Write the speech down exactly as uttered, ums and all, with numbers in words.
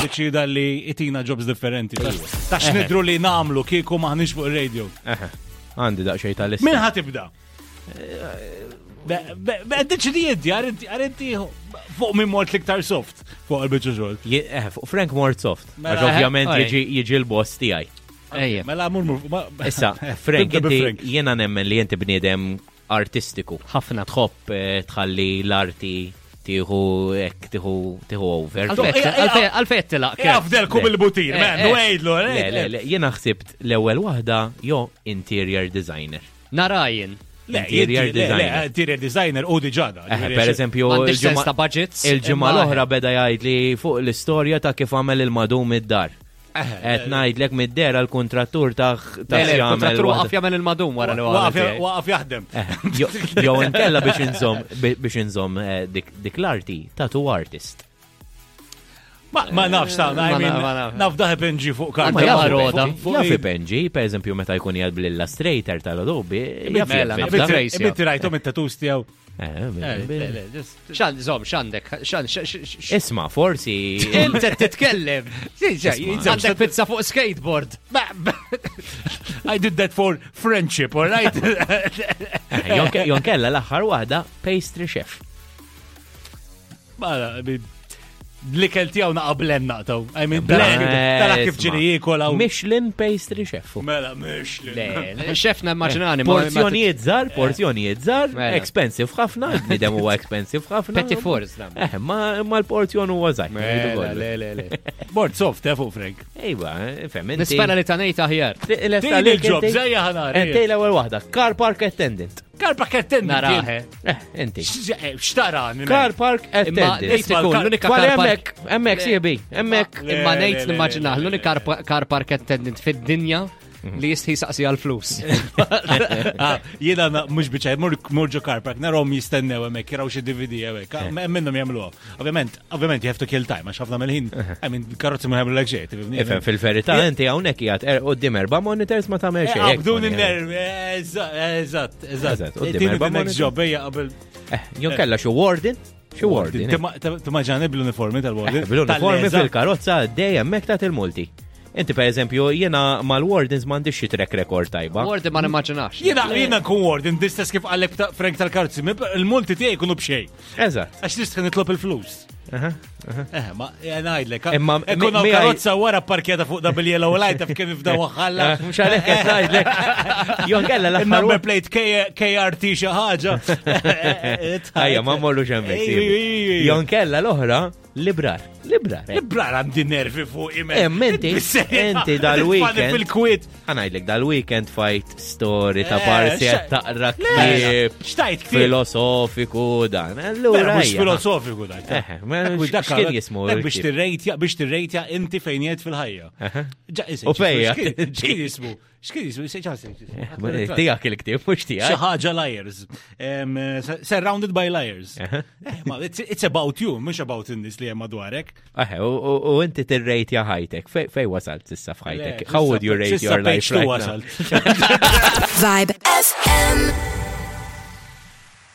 iddeċida li itina jobs differenti. Ta' x'nidru li nagħmlu kieku maħniex fuq il-radio. Eħe, għandi daqsxejn tal-lista. Min ħa tibda? Deċidi inti, għar inti fuq minn mort l-iktar soft fuq il-biċċa xogħol. Je- eh, fuq Frank mort soft. Mela, Għax ovvjament eh, jiġi jiġi l-boss tiegħi. Ejja. Mela mur mur. ma- Issa, Frank, Tibda bi inti Frank. jiena nemmen li inti bniedem artistiku. Ħafna. Tħobb eh, tħalli l-arti tieħu hekk tieħu tieħu over. Għalfejn għalfejn tilaq. Kurt. Jafdelkom il-butir, Eh, man, eh. u għidlu, Le, le, le, jiena ħsibt l-ewwel waħda jo interior designer. Narajin. Le, Interior inti- le, le, designer. Interior designer u diġada. Eh, per eżempju, M'għandix sens il-ġimgħa ta' budgets. il-ġimgħa imma- l-oħra beda jgħid li fuq l-istorja ta' kif għamel il-madum id-dar. Qed ngħidlek mid-dera l-kontrattur ta' ta' Le, le, x'jagħmel il-kontrattur waħda. waqaf jagħmel il-madum wara li waqaf. Waqaf jaħdem. Eh, jo- Jew inkella biex inżomm biex inżomm eh, dik dik l-arti tattoo artist. Ma ma nafx ta' I Ma mean, na- ma nafx. naf daħ pinġi fuq karta. Ma jaf roda. Fuq Jaf i- ipenġi, per eżempju, meta jkun jgħad bl-Illustrator tal-Adobe, jaf Mela, jaf naf jibda. trace, ja. Binti rajtom it-tattoos tiegħu. Eh, Eh, bil- bil- le, le, just- Xan, zom, xandek, xan, x- Isma, forsi. Int qed titkellem. Isma. Għandek pizza fuq skateboard. I did that for friendship, all right? Eh, jon- Jon kella l-aħħar waħda pastry chef. Ma, I mean, l-ikel tiegħu naqa' blend naqtaw. I mean, Blend, tara kif isma. ġini jiekol hawn. Michelin pastry chef. Mela, Michelin. Le, le, xef nimmaġinani. ma- ma- Porzjonijiet żgħar, porzjonijiet żgħar, Mela. expensive ħafna, il-bniedem huwa expensive ħafna. Petit fours, nam. Eh, ma ma l-porzjon huwa żgħir. Mela, le, le, le. Bord soft, eh, fuq Frank. Ejwa, fem, inti. Nispera li tanejt aħjar. Tini il-job, zejja ħanar. Inti l-ewwel waħda, car park attendant. Car park attendant. Naraħe. Eh, inti. Xtara? Car park Imma attendant. nejt Isma' ikun l-kar- l-unika Kwali car park. hemmhekk, hemmhekk siebi, hemmhekk. Le, Imma le, nejt le, nimmaġinah le, le, l-unika car- car park attendant fid-dinja li jistħi saqsi għal-flus. Ah, Jiena na- mhux biċaj, mur mur ġo car park, narahom jistennew hemmhekk, jaraw xi D V D hemmhekk. Ah, Minnhom jagħmluha. Ovvjament, ovvjament you have to kill time għax ħafna mill-ħin, I mean, karozzi ma jagħmlu xejn, tifhimni? Ifhem, fil-verità inti hawnhekk qiegħed er- quddiem erba' monitors ma tagħmel Eh, xejn. hekk Abdun ma in-nerv, eżatt, eżatt, Eżatt, eżatt. quddiem Tini erba' the next monitor. job, ejja qabel. Eh, Jon kella xi warden, xi warden. eh. Timmaġani bl-uniformi tal-warden. Eh, Bl-uniformi Tal-leża. fil-karozza dejjem hemmhekk tagħti il-multi. Inti per eżempju jiena mal-wardens m'għandix xi track record tajba. Warden ma nimmaġinax. Jiena jiena nkun warden, distess kif għallek ta' Frank tal-karozzi, il-multi tiegħi jkunu b'xejn. Eżatt. Għax nistħi nitlob il-flus. Aha. Eh, ma ngħidlek. Imma Ikun hawn mi- mi- karozza wara parkjata fuq da bil-yellow light taf kif fda waħħalla. Eh, Mhux għalhekk qed ngħidlek. Jon kella l-aħħar Il-number plate K- K R T xi ħaġa. Ejja, ma mmorrux hemmhekk. Ej, siebi. ej, ej, ej. Jon kella l-oħra librar. Librar. eh. Librar għandi nervi fuq imen. Eh, inti- inti dal-weekend- Fil-kwiet. Ħanajdlek dal-weekend fight story ta' Eh, parsi xa- qed taqra Le, ktieb xtajt ktieb. filosofiku dan. Allura Mhux ejja. filosofiku dak. Eh, ma Dak- dak- x'kien jismu Dak biex il-ktieb? tirrejtja, biex tirrejtja inti fejn jgħid fil-ħajja. Ġa, isek, U fejja. X'kien x'kien jismu? X'kien jismu? Ġa, isek, Eh, ma tiegħek il-ktieb mhux Xi tiegħek. ħaġa liars. Em, eh, Surrounded by liars. Aha. Eh, ma it's, it's about you, mhux about in-nies li hemm madwarek. Eħe, u- u u inti tirrejtja ħajtek. Fej fej wasalt s'issa f'ħajtek? Le, How would you rate s'issa your life page two right now? wasalt. Vibe F M.